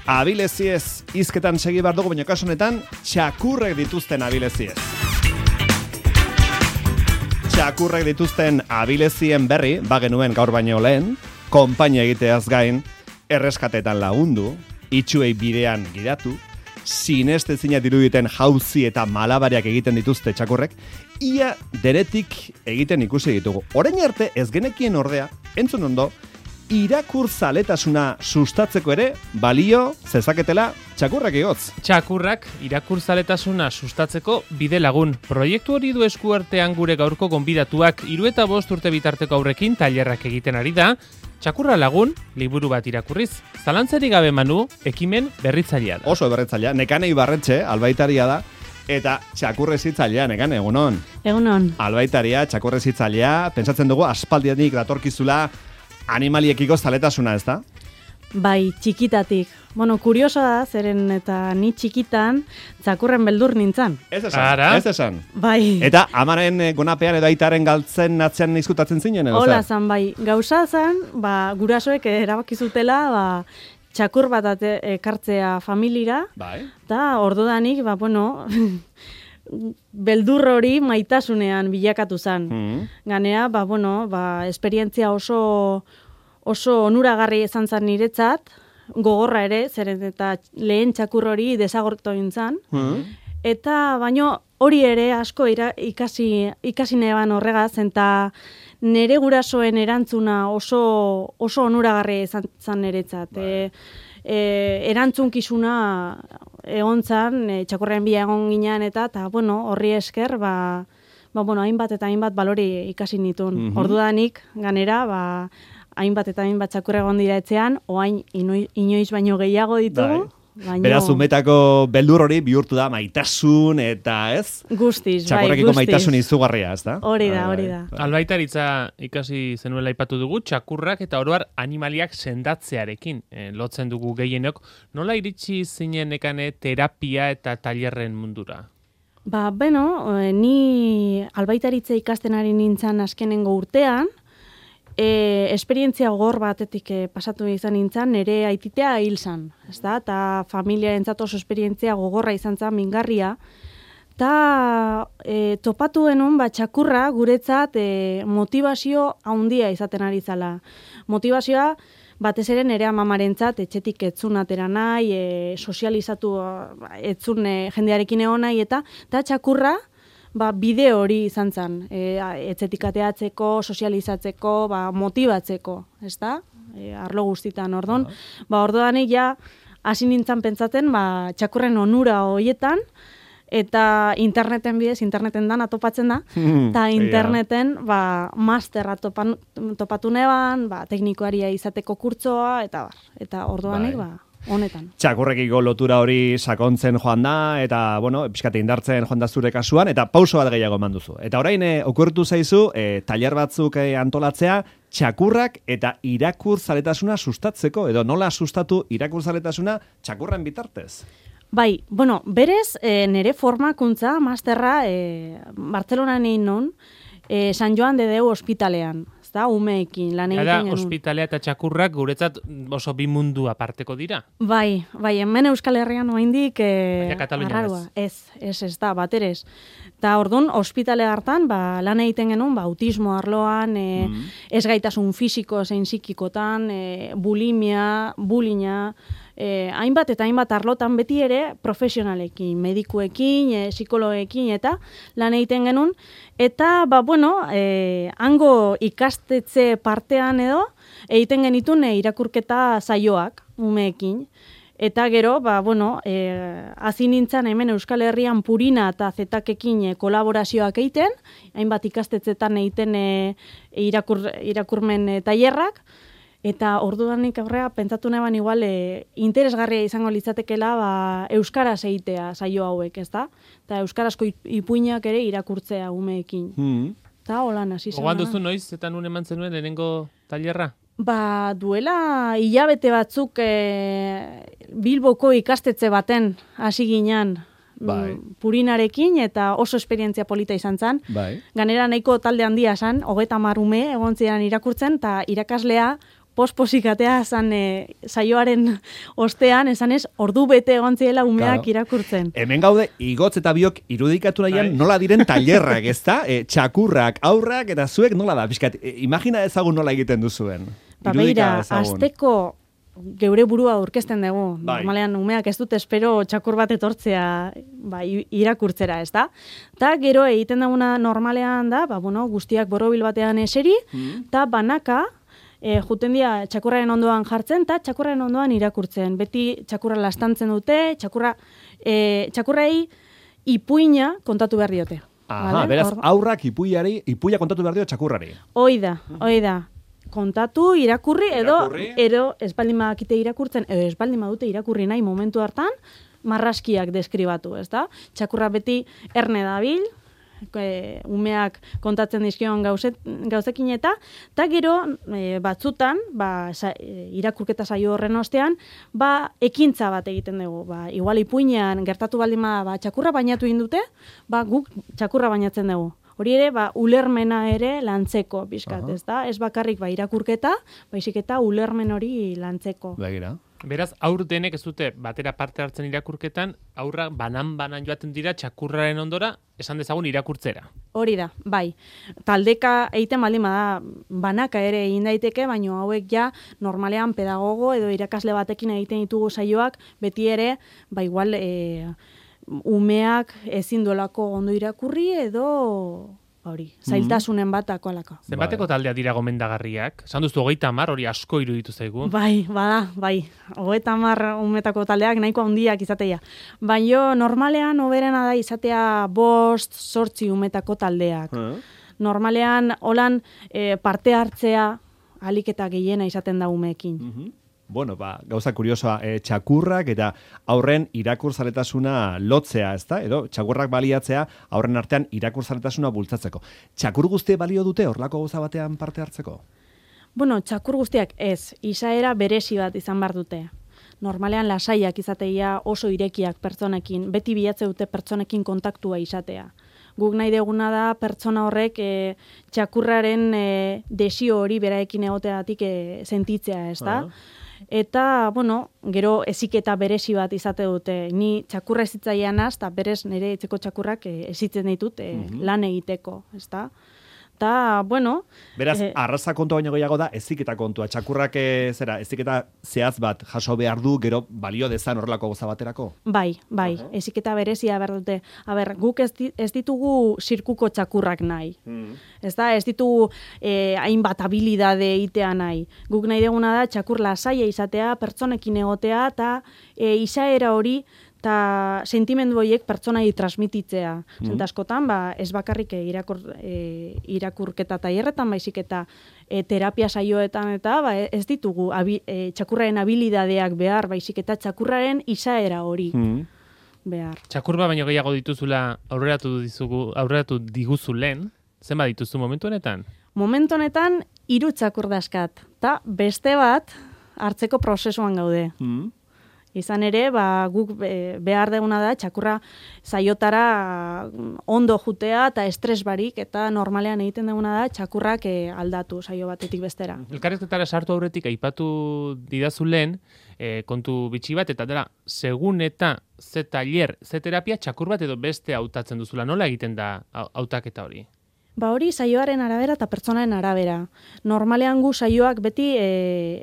Abileziez hizketan segi behar dugu, baina kasu honetan txakurrek dituzten abileziez. Txakurrek dituzten abilezien berri, bagenuen gaur baino lehen, konpainia egiteaz gain, erreskatetan lagundu, itxuei bidean gidatu, sinestezina diruditen jauzi eta malabariak egiten dituzte txakurrek, ia deretik egiten ikusi ditugu. Orain arte ez genekien ordea, entzun ondo, irakurzaletasuna sustatzeko ere balio zezaketela txakurrak igotz. Txakurrak irakurzaletasuna sustatzeko bide lagun. Proiektu hori du eskuartean gure gaurko gonbidatuak 3 eta 5 urte bitarteko aurrekin tailerrak egiten ari da. Txakurra lagun, liburu bat irakurriz. Zalantzarik gabe Manu, ekimen berritzailea da. Oso berritzailea, Nekane Ibarretxe, albaitaria da, eta txakurrezitzailea, Nekane, egunon. Egunon. Albaitaria, txakurrezitzailea, pentsatzen dugu aspaldianik datorkizula animaliekiko zaletasuna, ez da? Bai, txikitatik. Bueno, kurioso da, zeren eta ni txikitan txakurren beldur nintzan. Ez esan. Bai. Eta amaren gonapean edo aitaren galtzen atzean izkutatzen zinen, edo? Hola zan, bai. Gauza zan, gurasoek erabakizutela, txakur bat ekartzea familira. Bai. Eta ordudanik, beldur hori maitasunean bilakatu zan. Ganea, esperientzia oso onuragarri izan zan niretzat, gogorra ere, zeren eta lehen txakur hori desagortu intzan. Eta baino hori ere asko ikasi neban horregaz, eta nere gurasoen erantzuna oso onuragarri izan zan niretzat. Erantzunkizuna egon zan, txakurren bila egon ginean eta horri esker, hainbat eta hainbat balori ikasi nituen. Ordudanik, ganera, hainbat eta hainbat txakurre egon dira etxean, oain inoiz baino gehiago ditugu. Beraz, umetako beldur hori bihurtu da maitasun eta ez? Guztiz, txakurrekiko maitasun izugarria, ez da? Hori da. Albaitaritza ikasi zenuela aipatu dugu, txakurrak eta oroar animaliak sendatzearekin lotzen dugu gehienok. Nola iritsi zinen Nekane terapia eta tailerren mundura? Ni albaitaritza ikasten ari nintzan azkenengo urtean, esperientzia gogor batetik pasatu izan nintzen, nire aititea hil zan, eta familiarentzat oso esperientzia gogorra izan zan, mingarria, eta topatu denun txakurra guretzat motivazio handia izaten ari zala. Motivazioa batez ere nire amamarentzat etxetik etzun atera nahi, sozializatu etzun jendearekin egon nahi, eta txakurra bide hori izan zen, etxetik ateatzeko, sozializatzeko, motibatzeko, ez da? Arlo guztitan, ordon. Ordodanik hasi nintzen pentsatzen, txakurren onura horietan, eta interneten bidez, interneten dana topatzen da, eta interneten masterra topatu neban, teknikoaria izateko kurtsoa, eta ordodanik, honetan. Txakurrekiko lotura hori sakontzen joan da, eta, pixkate indartzen joan da zure kasuan, eta pauso bat gehiago eman duzu. Eta orain, okurtu zaizu, tailer batzuk antolatzea, txakurrak eta irakurzaletasuna sustatzeko, edo nola sustatu irakurzaletasuna txakurren bitartez? Bai, berez, nire formakuntza, masterra, Bartzelonan egin non, San Joan de Deu ospitalean. Umeekin lan egiten genuen. Ospitalea eta txakurrak guretzat oso bi mundu aparteko dira. Bai, hemen Euskal Herrian oraindik arrarua. Ez da, baterez. Eta orduan, ospitalea hartan, lan egiten genuen, autismo arloan, ez gaitasun fisiko zein psikikotan, bulimia, bulina, hainbat eta hainbat arlotan beti ere profesionalekin, medikuekin, psikologekin eta lan egiten genuen. Eta, hango ikastetxe partean edo, egiten genitun irakurketa saioak, umeekin. Eta gero, hasi nintzen hemen Euskal Herrian Purina eta Zetakekin kolaborazioak egiten, hainbat ikastetzetan egiten irakurmen tailerrak, eta ordudanik aurrea pentsatu neban igual interesgarria izango litzatekela euskaraz egitea saio hauek, ezta? Eta euskarazko ipuinak ere irakurtzea umeekin. Eta holan hasi zen. Ogan duzu noiz eta nun eman zenuen lehenengo tailerra? Duela hilabete batzuk Bilboko ikastetxe baten hasi ginean Purinarekin, eta oso esperientzia polita izan zen. Ganera nahiko talde handia zen, 30 ume egon ziren irakurtzen, eta irakaslea posposikatea zan saioaren ostean, esan ez, ordu bete egon ziela umeak irakurtzen. Hemen gaude, igotz eta biok irudikatu nahian nola diren tailerrak, ezta? Txakurrak, aurrak, eta zuek nola da, pixkat, imagina ezagun nola egiten duzuen. Beira, azteko geure burua aurkezten dugu. Normalean umeak ez dut espero txakur bat etortzea irakurtzera, ez da? Ta gero egiten duguna normalean da, guztiak borobil batean eseri, eta banaka, juten dira txakurraren ondoan jartzen, eta txakurraren ondoan irakurtzen. Beti txakurra lastantzen dute, txakurrei ipuina kontatu behar diote. Aha, beraz, aurrak ipuia kontatu behar dio txakurrari. Hoi da. Kontatu, irakurri, edo ez baldin badakite irakurtzen, edo ez baldin badute irakurri nahi momentu hartan, marraskiak deskribatu, ez da? Txakurra beti erne dabil, umeak kontatzen dizkion gauzekin eta gero batzutan, irakurketa saio horren ostean, ekintza bat egiten dugu. Igual ipuinean gertatu baldin bada, txakurra bainatu indute, guk txakurra bainatzen dugu. Hori ere, ulermena ere lantzeko, bizkat, ez da? Ez bakarrik irakurketa, baizik eta ulermen hori lantzeko. Begira. Beraz, aur denek ez dute batera parte hartzen irakurketan, aurra banan joaten dira txakurraren ondora, esan dezagun irakurtzera. Hori da, bai. Taldeka egiten baldin bada banaka ere egin daiteke, baina hauek ja normalean pedagogo edo irakasle batekin egiten ditugu saioak, beti ere, igual umeak ezin duelako ondo irakurri edo zailtasunen batako alako. Zenbateko taldea dira gomendagarriak? Esan duzu 30, hori asko iruditu zaigu. Bai. 30 umetako taldeak nahiko handiak izatea. Baina normalean hoberena da izatea 5-8 umetako taldeak. Normalean holan parte hartzea ahalik eta gehiena izaten da umeekin. Bueno, gauza kuriosoa, txakurrak eta aurren irakurzaletasuna lotzea, ezta? Edo txakurrak baliatzea aurren artean irakurzaletasuna bultzatzeko. Txakur guztie balio dute horlako gauza batean parte hartzeko? Bueno, txakur guztiak ez, izaera berezi bat izan behar dute. Normalean lasaiak izatea oso irekiak pertsonekin, beti bilatze dute pertsonekin kontaktua izatea. Guk nahi deguna da pertsona horrek txakurraren desio hori beraekin egoteatik sentitzea, ez da? Eta, gero eziketa berezi bat izate dute. Ni txakurra ezitzailean eta berez nire etzeko txakurrak ezitzen ditut lan egiteko, ez da? Eta, beraz, arraza kontua baino gehiago da, eziketa kontua. Txakurrak eziketa zehaz bat jaso behar du, gero balio dezan horrelako goza baterako? Bai, eziketa berezia behar dute. Guk ez ditugu zirkuko txakurrak nahi. Ez da, ez ditugu hainbat habilidade itea nahi. Guk nahi deguna da txakur lasaia izatea, pertsonekin egotea, eta izaera hori, eta sentimendu horiek pertsonai transmititzea. Askotan, ez bakarrik irakurketa tailerretan, baizik eta terapia saioetan eta ez ditugu txakurraren habilidadeak behar, baizik eta txakurraren izaera hori behar. Txakurba baino gehiago dituzula aurreratu diguzu lehen, zenba dituzu momentu honetan? Momentu honetan 3 txakur daskat, eta beste bat hartzeko prozesuan gaude. Izan ere, guk behar deguna da, txakurra saiotara ondo jutea eta estres barik, eta normalean egiten deguna da, txakurrak aldatu saio batetik bestera. Elkarrizketara sartu aurretik aipatu didazu lehen, kontu bitxi bat, eta dela, segun eta ze tailer, ze terapia, txakur bat edo beste hautatzen duzula. Nola egiten da hautaketa hori? Hori saioaren arabera eta pertsonaren arabera. Normalean gu saioak beti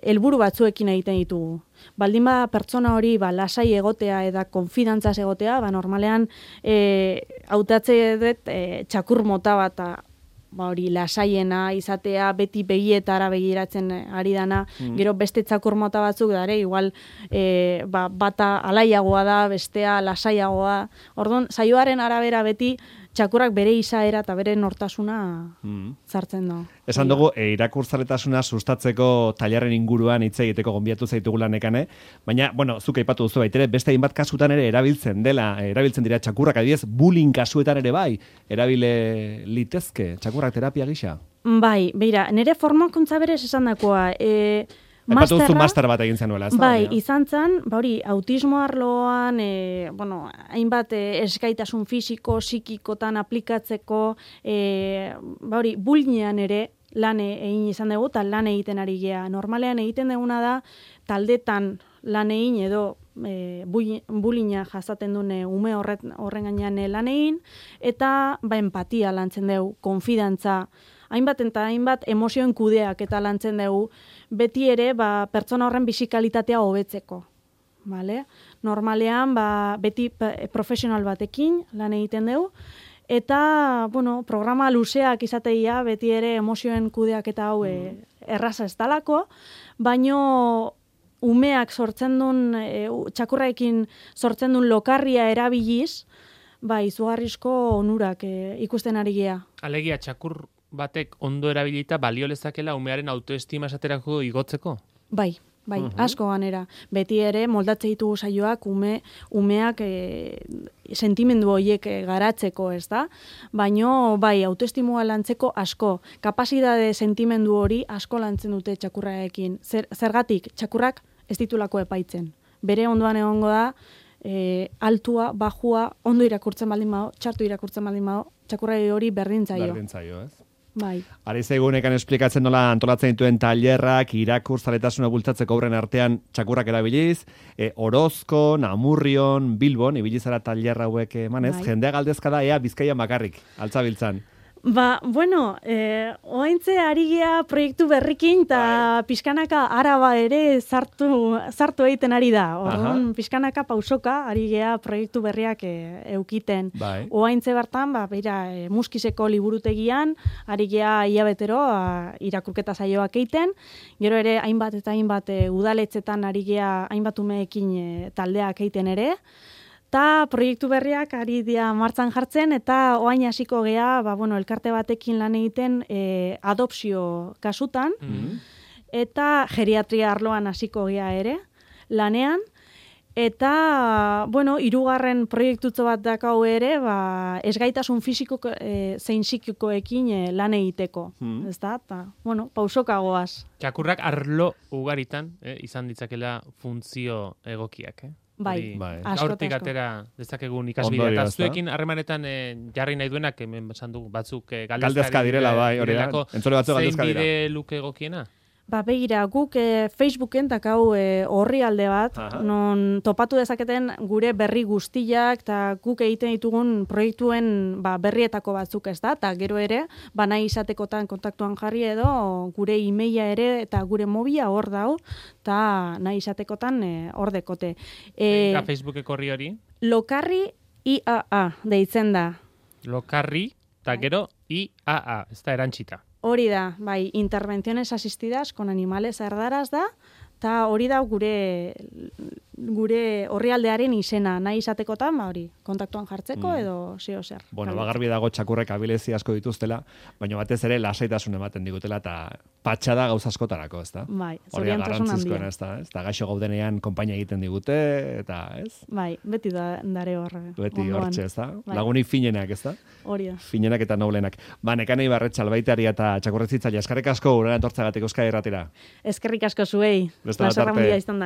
helburu batzuekin egiten ditugu. Baldin bada pertsona hori lasai egotea eta konfidantzaz egotea, normalean hautatze dut txakur mota bat hori lasaiena izatea, beti begietara begiratzen ari dana, gero beste txakur mota batzuk dare, igual bata alaiagoa da, bestea lasaiagoa. Orduan, saioaren arabera beti txakurrak bere izaera eta bere nortasuna zartzen da. Esan dugu, irakurzaletasuna sustatzeko tailerren inguruan hitz egiteko gonbiatu zaitugula nekane, baina, zuk aipatu duzu baitere, beste hainbat kasutan ere erabiltzen dira txakurrak, adibidez, bullying kasuetan ere erabile litezke txakurrak terapia gisa? Bai, beira, nire formakuntza berez esan dakoa, aipatu duzu master bat egin zenuela, ez da? Bai, izan zen, autismo arloan, hainbat eskaitasun fisiko, psikikotan aplikatzeko, bullyingean ere lan egin izan dugu, eta lan egiten ari gea. Normalean egiten duguna da, taldetan lan egin edo bulina jasaten dune ume horren gainean lan egin, eta empatia lantzen dugu, konfidantza, hainbat eta hainbat emozioen kudeak eta lantzen dugu, beti ere pertsona horren bisikalitatea hobetzeko. Vale? Normalean, beti profesional batekin lan egiten dugu, eta, programa luzeak izateia, beti ere emozioen kudeak eta hau erraza ez dalako, baino umeak sortzen duen, txakurraekin sortzen duen lokarria erabiliz, izugarrizko onurak ikusten ari gea. Alegia, txakur batek ondo erabilita balio lezakela umearen autoestima esaterako igotzeko? Bai, asko ganera. Beti ere moldatze ditugu saioak umeak sentimendu horiek garatzeko, ez da? Baino, autoestimua lantzeko asko. Kapazitate sentimendu hori asko lantzen dute txakurraekin. Zergatik, txakurrak ez ditulako epaitzen. Bere ondoan egongo da, altua, bajua, ondo irakurtzen baldin bado, txartu irakurtzen baldin bado, txakurrai hori berdintzaio. Berdintzaio, ez? Bai. Ari zaigunekan esplikatzen nola antolatzen dituen tailerrak, irakurzaletasuna bultzatzeko obren artean txakurrak erabiliz, Orozko, Namurrion, Bilbon, ibilizara tailerra hauek emanez, jendea galdezka da, Bizkaian bakarrik, altzabiltzan. Oaintze ari gea proiektu berrikin, eta pixkanaka Araba ere sartu egiten ari da. Orduan, pixkanaka pausoka ari gea proiektu berriak eukiten. Oaintze bertan, Muskizeko liburutegian, ari gea hilabetero irakurketa saioak egiten, gero ere hainbat eta hainbat udaletzetan ari gea hainbat umeekin taldeak egiten ere, eta proiektu berriak ari dira martzan jartzen, eta oain hasiko gea, elkarte batekin lan egiten adopzio kasutan, eta geriatria arloan hasiko gea ere, lanean, eta, hirugarren proiektutzo bat dakau ere, ezgaitasun fisiko zein psikikoekin lan egiteko, ez da? Pausoka goaz. Txakurrak arlo ugaritan izan ditzakela funtzio egokiak, Bai, gaurtik atera dezakegun ikasbidea. Eta zuekin harremanetan jarri nahi duenak, hemen esan dugu, batzuk galdezka direla, hori da. Entzole batzuk galdezka dira. Zein bide luke egokiena? Begira, guk Facebooken dakau horri alde bat, non topatu dezaketen gure berri guztiak, eta guk egiten ditugun proiektuen berrietako batzuk, ez da, eta gero ere, nahi izatekotan kontaktuan jarri edo, gure emaila ere, eta gure mobila hor dau, eta nahi izatekotan hor dekote. Eta Facebookeko horri hori? Lokarri IAA deitzen da. Lokarri, eta gero IAA, ez da erantxita. Hori da, intervenciones asistidas con animales erdaraz da, eta hori da gure orrialdearen izena, nahi izatekotan, kontaktuan jartzeko edo zeo zer. Garbi dago txakurrek abilezi asko dituztela, baina batez ere lasaitasun ematen digutela, eta patxada gauz askotarako, ez da? Zoriontasun handia. Ez da, gaixo gaudenean konpainia egiten digute, eta ez? Beti dare horre. Beti hortxe, ez da? Lagunik finenak, ez da? Hori da. Finenak eta noblenak. Nekanei Barretxa albaitari eta txakurretzitzaile, eskerrik asko urera entortzagatik Euskadi Irratira. Eskerrik asko zuei. Plazer handia izan da.